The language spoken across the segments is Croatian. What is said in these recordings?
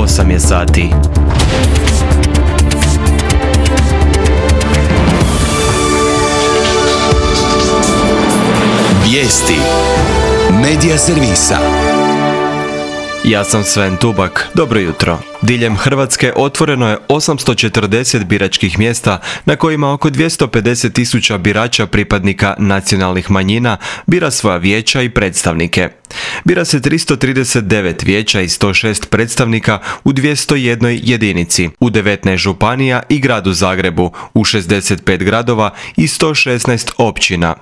8 je sati. Vijesti Medija servisa. Ja sam Sven Tubak, dobro jutro. Diljem Hrvatske otvoreno je 840 biračkih mjesta na kojima oko 250.000 birača pripadnika nacionalnih manjina bira svoja vijeća i predstavnike. Bira se 339 vijeća i 106 predstavnika u 201 jedinici, u 19 županija i gradu Zagrebu, u 65 gradova i 116 općina.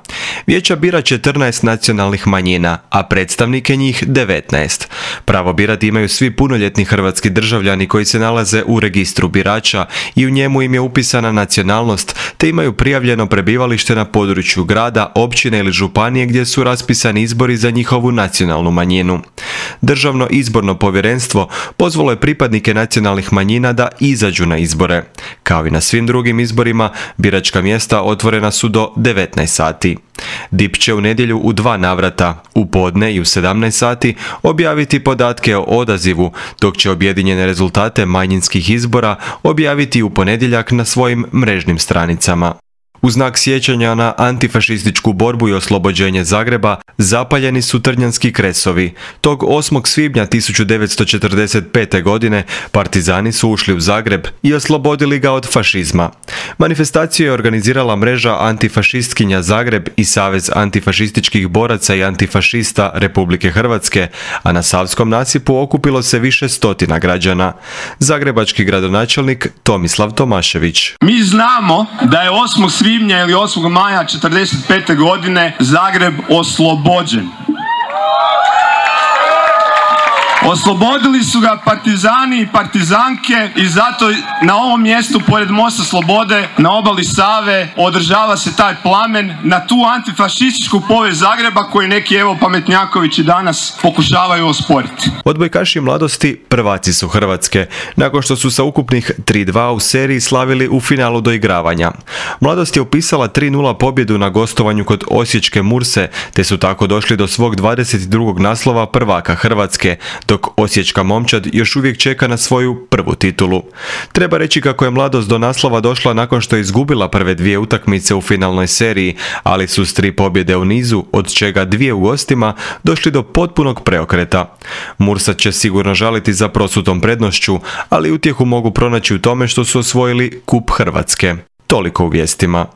Vijeća bira 14 nacionalnih manjina, a predstavnike njih 19. Pravo birati imaju svi punoljetni hrvatski državljani koji se nalaze u registru birača i u njemu im je upisana nacionalnost, te imaju prijavljeno prebivalište na području grada, općine ili županije gdje su raspisani izbori za njihovu nacionalnu manjinu. Državno izborno povjerenstvo pozvalo je pripadnike nacionalnih manjina da izađu na izbore. Kao i na svim drugim izborima, biračka mjesta otvorena su do 19 sati. DIP će u nedjelju u 2 navrata, u podne i u 17 sati, objaviti podatke o odazivu, dok će objedinjene rezultate manjinskih izbora objaviti u ponedjeljak na svojim mrežnim stranicama. U znak sjećanja na antifašističku borbu i oslobođenje Zagreba zapaljeni su trnjanski kresovi. Tog 8. svibnja 1945. godine partizani su ušli u Zagreb i oslobodili ga od fašizma. Manifestaciju je organizirala mreža antifašistkinja Zagreb i Savez antifašističkih boraca i antifašista Republike Hrvatske, a na Savskom nasipu okupilo se više stotina građana. Zagrebački gradonačelnik Tomislav Tomašević. Mi znamo da je 8. svibnja ili 8. maja 1945. godine Zagreb oslobođen. Oslobodili su ga partizani i partizanke i zato na ovom mjestu pored Mosta Slobode na obali Save održava se taj plamen na tu antifašističku povijest Zagreba koji neki pametnjakovići danas pokušavaju osporiti. Odbojkaši mladosti prvaci su Hrvatske, nakon što su sa ukupnih 3-2 u seriji slavili u finalu doigravanja. Mladost je upisala 3-0 pobjedu na gostovanju kod osječke Murse, te su tako došli do svog 22. naslova prvaka Hrvatske, dok osječka momčad još uvijek čeka na svoju prvu titulu. Treba reći kako je mladost do naslova došla nakon što je izgubila prve 2 utakmice u finalnoj seriji, ali su s 3 pobjede u nizu, od čega 2 u gostima, došli do potpunog preokreta. Mursa će sigurno žaliti za prosutom prednošću, ali utjehu mogu pronaći u tome što su osvojili Kup Hrvatske. Toliko u vijestima.